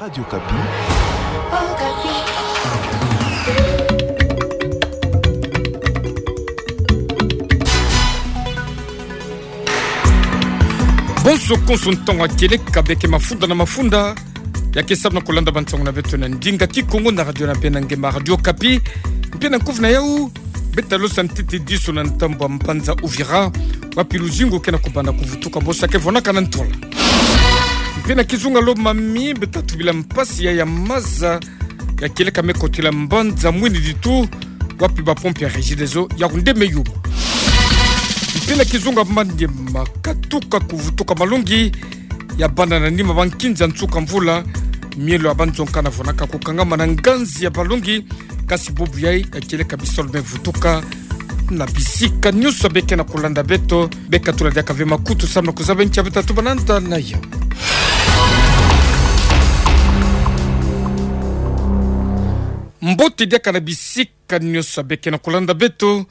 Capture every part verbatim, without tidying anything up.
Radio Okapi. Bonso konso ntangu ya kieleka bê ke mafunda na mafunda, ya ke salu na kolanda bansangu na beto na ndinga kikongo na radio na bê na nge ma Radio Okapi. Mpe na nkufi na yau, beta losa ntete diso na ntambu ya mbanza Uvira, wapi luzingu ke na kubanda kuvutuka bosa ke vonaka na ntola. Mpe na kizunga Lomami, beta tubila mpasi ya, ya maza ya kieleka me kotila mbanza Mwini Ditu, wapi bapompe ya Regideso ya kunde me yuma. Mpe na kizunga Maniema, katuka kuvutuka malongi ya banda na nima bankinza nsuka mvula, mielo ya banzonka na vonaka kukangama na nganzi ya balongi, kasi bubu yai ya kieleka bisalu me vutuka na bisika nyonso bê ke na kolanda beto, bê katula diaka ve makutu salu na kuzaba nki ya beta tubananda na yo. Mbote diaka na bisika nyonso bê ke na kolanda beto,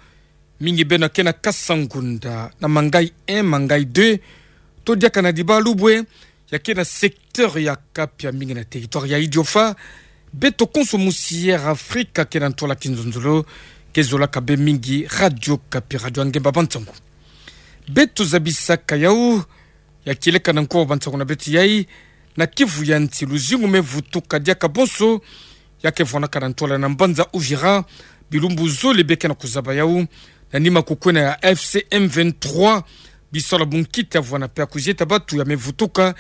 mingi beno ke na Kasangunda, na Mangayi un, Mangayi deux, to diaka na Dibalubwe, ya ke na secteur ya Kapia, mingi na territoire ya Idiofa, beto konso musi Air Afrika ke na ntola kinzonzolo, ke zolaka bê mingi Radio Okapi, radio ya ngemba bansangu. Beto zabisaka yau, ya kieleka na nko wa bansangu na beto yai, na Kivu ya nsi luzingu me vutuka diaka bonso, ya ke vonaka na ntola na mbanza Uvira, bilumbu zole bê ke na kuzaba yau, na nima kukwena ya F C M vingt-trois, bisalu ya bunkita vwena mpe ya kuzieta batu ya me vutuka,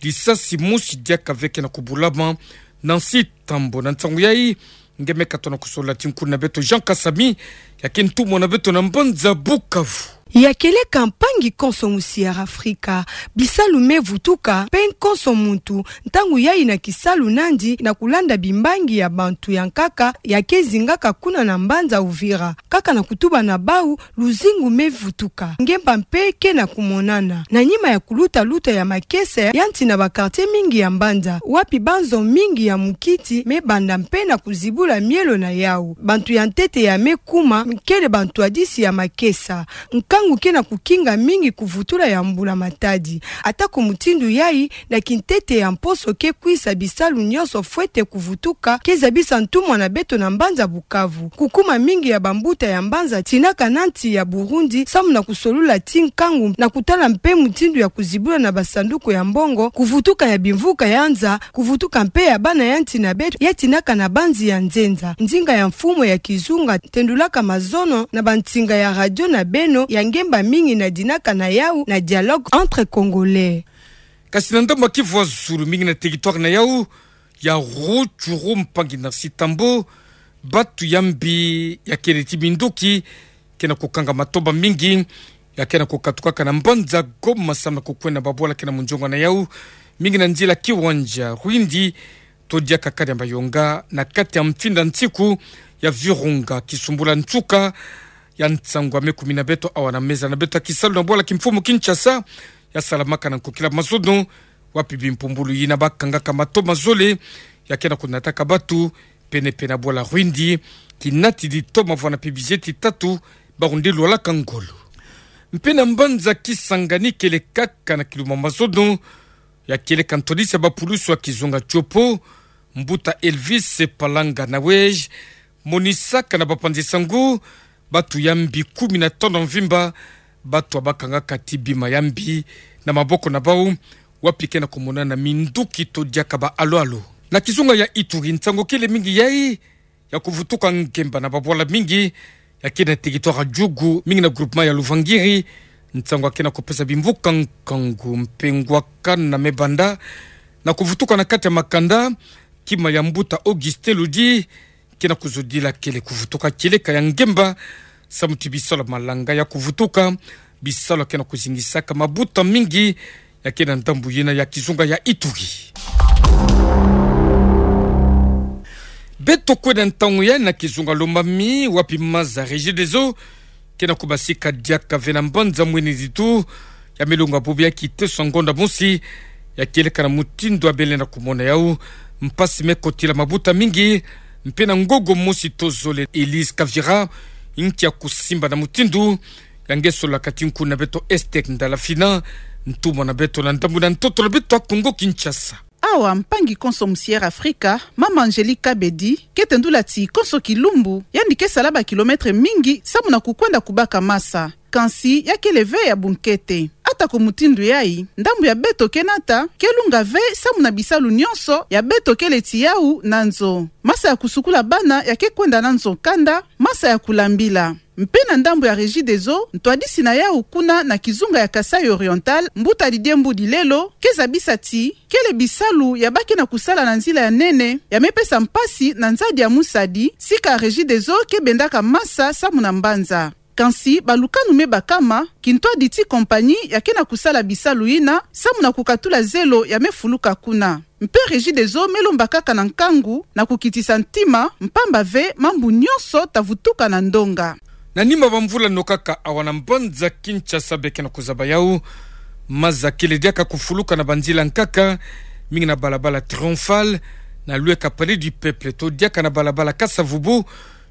lisasi mosi diaka ve ke na kubulama, na nsi Tambo. Na nsangu yai, nge me katono kusolola ti nkulu na beto Jean Kasami, ya ke ntumwa na beto na mbanza Bukavu. Ya kieleka mpangi konso musi Air Afrika, bisalu me vutuka, mpe konso muntu, ntangu yai na kisalu nandi na kulanda bimbangi ya bantu ya nkaka, ya ke zingaka kuna na mbanza Uvira. Kaka na kutuba na bau, luzingu me vutuka. Ngemba mpe ke na kumonana. Na nima ya kuluta luta ya makesa ya nti na ba quartier mingi ya mbanza, wapi banzo mingi ya mukiti me banda mpe na kuzibula mielo na yau. Bantu ya ntete ya me kuma, kele bantwadisi ya makesa. Nkangu ke na kukinga mingi kuvutula ya mbula matadi. Ata ku mutindu yai, na kintete ya mposo ke kwisa bisalu nyonso fwete kuvutuka, ke zabisa ntumwa na beto na mbanza Bukavu. Kukuma mingi ya bambuta ya mbanza tinaka na nti ya Burundi, samu na kusolola ti nkangu na kutala mpe mutindu ya kuzibula na basanduku ya mbongo, kuvutuka ya bimvuka ya nza, kuvutuka mpe ya bana ya nti na beto, ya tinaka na banzi ya nzenza. Ndinga ya mfumu ya kizunga, tendulaka mazono na bansinga ya radio na beno, ya ngemba mingi na dinaka na yau na Dialogue entre Congolais. Kasi na ndambu ya Kivu ya zulu, mingi na territoire na yau ya Rutshuru, mpangi Narcisse Tambo, batu ya mbi ya kele ti minduki ke na kukanga matomba mingi, ya ke na kukatukaka na mbanza Goma samu na kukwenda babwala ke na munzongo na yau, mingi na nzila kiwanja Rwindi, to diaka kadi ya Mayonga, na kati ya mfinda nsiku ya Virunga, kisumbula nsuka ya nsangu ya me kumina beto awa na meza na beto ya kisalu na bwala kimfumu Kinshasa, ya salamaka na nkokila mazono, wapi bimpumbulu yina bakangaka mato mazole, ya ke na kunataka batu, pene-pene na bwala Rwindi, kinati ditoma vwena mpe bizieti tatu, ba kunde lwalaka ngolo. Mpe na mbanza Kisangani kele kaka na kiluma mazono, ya kieleka ntwadisi ya bapulusu ya kizunga Tshopo, mbuta Elvis Palanga Nawej, monisaka na bapanzi sango batu ya mbi kumi na tanu mvimba, batu bakangaka ti bima ya mbi na maboko na bau, wapi ke na kumonana minduki to diaka ba alo-alo. Na kizunga ya Ituri, nsangu kele mingi yai, ya kuvutuka ngemba na babwala mingi, ya ke na territoire ya Djugu, mingi na groupement ya Luvangiri, nsangu ya ke na kupesa bimvuka nkangu mpe ngwakana me banda na kuvutuka na kati ya makanda, kima ya mbuta Augustin Ludi, ke na kuzodila kele kuvutuka kieleka ya ngemba, samu ti bisalu ya malanga ya kuvutuka, bisalu ya ke na kuzingisaka mabuta mingi, ya ke na ndambu yina ya kizunga ya Ituri. Beto kwenda ntangu yai na kizunga Lomami, wapi maza Regideso ke na kubasika diaka ve na mbanza Mwini Ditu, ya me longa bubu ya kiteso ngonda mosi, ya kieleka na mutindu ya bele na kumona yau, mpasi me kotila mabuta mingi, mpe na ngogo mosi to zole Elise Kavira, nki ya kusimba na mutindu, ya nge solaka ti nkulu na beto Esther Ndalafina, ntumwa na beto na ndambu na ntoto na beto ya Kongo Kinshasa. Awa mpangi konso musi Air Africa, mama Angélique Kabedi, ke tendula ti konso kilumbu, yandi ke sala ba kilomètre mingi, samu na kukwenda kubaka masa. Kansi, ya kele ve ya bunkete. Atako mutindu yayi, ndambu ya beto ke nata, ke lunga ve samu na bisalu nyonso ya beto kele ti yawu na nzo. Masa ya kusukula bana ya ke kwenda na nzo kanda, masa ya kulambila. Mpe na ndambu ya Regideso, ntwadisi na yawu kuna na kizunga ya Kasaï Oriental, mbuta Didier Mbudilelo, ke zabisa ti, kele bisalu ya ba ke na kusala na nzila ya nene, ya me pesa mpasi na nzadi ya musadi, sika Regideso ke bendaka masa samu na mbanza. Kansi, balukanu me bakama, kintwadi ti compagnie ya ke na kusala bisalu yina, samu na kukatula zelo ya me fuluka kuna. Mpe Regideso me lomba kaka na nkangu, na kukitisa ntima, mpamba ve, mambu nyonso ta vutuka na ndonga. Na nima ba mvula no kaka awa na mbanza Kinshasa be ke na kuzaba yawu, maza kele diaka kufuluka na banzila nkaka, mingi na balabala Triomphal, na lweka Palais du Peuple, to diaka na balabala Kasa-Vubu,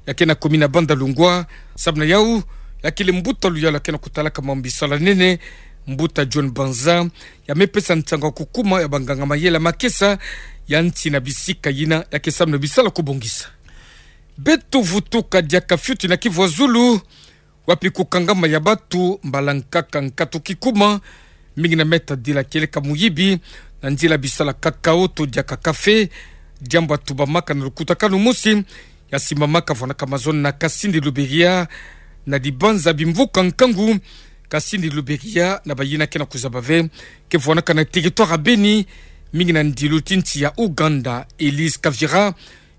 ya ke na commune ya Bandalungwa, samu na yawu, ya kele mbuta luyalu ya ke na kutalaka mambu bisalu ya nene, mbuta John Banza, ya me pesa nsangu ya kukuma ya banganga mayele ya makesa, ya nti na bisika yina, ya ke samu na bisalu ya kubongisa. Beto vutuka diaka fioti na kivu ya zulu, wapi kukangama ya batu, mbala nkaka nkatu kikuma, mingi na meta dila kieleka muyibi, na nzila bisalu ya cacao to diaka café, diambu ya tubamaka na lukutakanu mosi, ya simbamaka vwanaka mazono na Kasindi Lubiriha, na dibanza bimvuka nkangu, Kasindi Lubiriha, na bayina ke na kuzaba ve, ke vwanaka na territoire ya Beni, mingi na ndilu ti nsi ya Ouganda, Elise Kavira,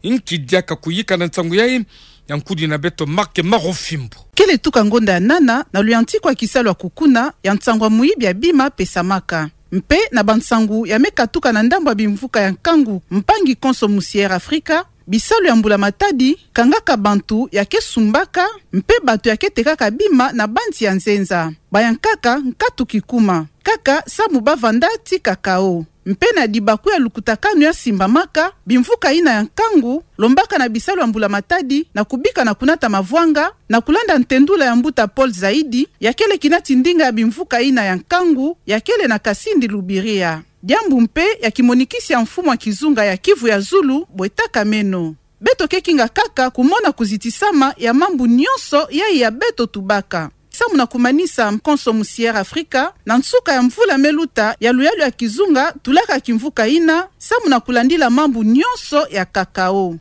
nki diaka kuyika na nsangu yayi, ya nkudi na beto Marc Marofimbo. Kele tuka ngonda ya nana, na luyantikwa ya kisalu ya kukuna, ya nsangu ya muyibi ya bima pesamaka. Mpe na bansangu ya me katuka na ndambu ya bimvuka ya nkangu, mpangi konso musi Air Africa, bisalu ya mbula matadi, kangaka bantu ya ke sumbaka, mpe bato ya ke tekaka bima na bansi ya nzenza. Bayankaka nkatu kikuma. Kaka samu ba vanda ti cacao. Mpe na dibaku ya lukutakanu ya simbamaka, bimvuka yina ya nkangu, lombaka na bisalu ya mbula matadi, na kubika na kunata mavwanga, na kulanda ntendula ya mbuta Paul Zaidi, ya kele kinati ndinga ya bimvuka yina ya nkangu, ya kele na Kasindi Lubiriha. Diambu mpe ya kimonikisi ya mfumu ya kizunga ya Kivu ya Zulu, bwe takameno. Beto ke kinga kaka kumona kuzitisama ya mambu nyonso yayi ya beto tubaka. Samu na kumanisa mkonso musi Air Africa, na nsuka ya mvula me luta ya luyalu ya kizunga tulaka kimvuka yina, samu na kulandila mambu nyonso ya cacao.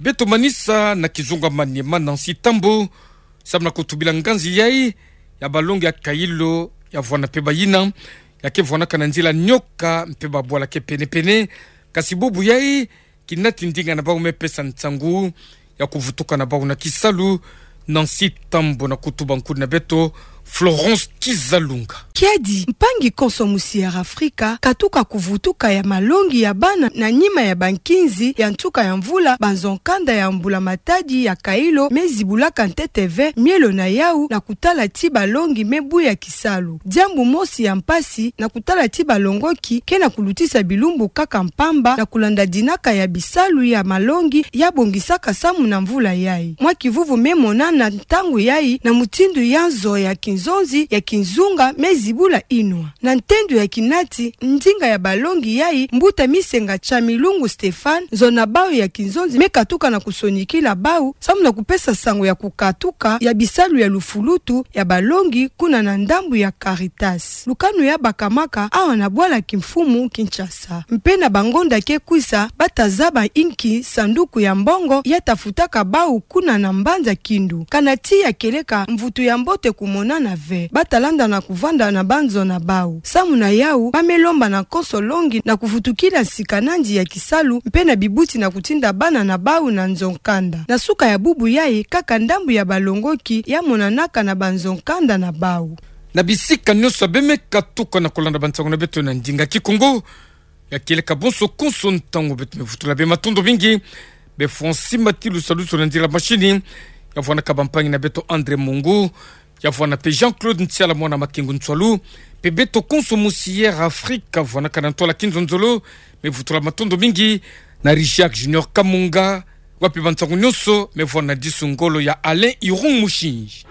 Beto manisa na kizunga ya Maniema Nancy Tambo, samu na kutubila nganzi yayi ya balongi ya Kailo, ya vwana mpe bayina ya ke vwanaka na nzila nioka mpe babwala ke pene-pene, kasi bubu yayi, kinati ndinga na bawu me pesa nsangu ya kuvutuka na bawu na kisalu. Nancy Tambo na kutuba nkudi na beto Florence Kizalunga. Kiadi, mpangi konso musi Air Africa, katuka kuvutuka ya malongi ya bana na nima ya bankinzi ya nsuka ya mvula, banzo-nkanda ya mbula matadi ya Kailo me zibulaka ntete ve mielo na yawu na kutala ti balongi me buya kisalu. Diambu mosi ya mpasi na kutala ti balongoki ke na kulutisa bilumbu kaka mpamba na kulanda dinaka ya bisalu ya malongi ya bongisaka samu na mvula yayi. Mwa kivuvu me monana ntangu yayi na mutindu ya nzo ya kinzonzi ya kizunga me zibula inwa. Na ntendo ya kinati ndinga ya balongi yayi, mbuta Misenga Chamilungu Stéphane, nzo na bawu ya kinzonzi me katuka na kusonikila bawu, samu na kupesa sango ya kukatuka ya bisalu ya lufulutu ya balongi kuna na ndambu ya Caritas. Lukanu ya bakamaka awa na bwala kimfumu Kinshasa. Mpe na bangonda ke kwisa, ba ta zaba inki sanduku ya mbongo ya ta futaka bawu kuna na mbanza Kindu. Kana tiya kieleka mvutu ya mbote kumonana ve. Ba ta landa na kuvanda na banzo na bawu. Samu na yawu, ba me lomba na konso longi na kuvutukila nsika nandi ya kisalu, mpe na bibuti na kutinda bana na bawu na nzo-nkanda. Na suka ya bubu yayi, kaka ndambu ya balongoki ya monanaka na banzo-nkanda na bawu. Na bisika nyonso be me katuka na kulanda bansangu na beto na ndinga Kikongo, ya kieleka bonso konso ntangu beto me vutula be matondo mingi. Be Francis Matilu Saluso na nzila machine, ya vwanaka bampangi na beto André Mungu, ya vwana mpe Jean-Claude Ntiala mwana Makengo Ntswalu, mpe beto konso musi Air Africa, vwanaka na ntwala kinzonzolo, me vutula matondo mingi, na Richard Junior Kamunga, wapi bansangu nyonso me vwana disu ngolo ya Alain Irung Mushinji.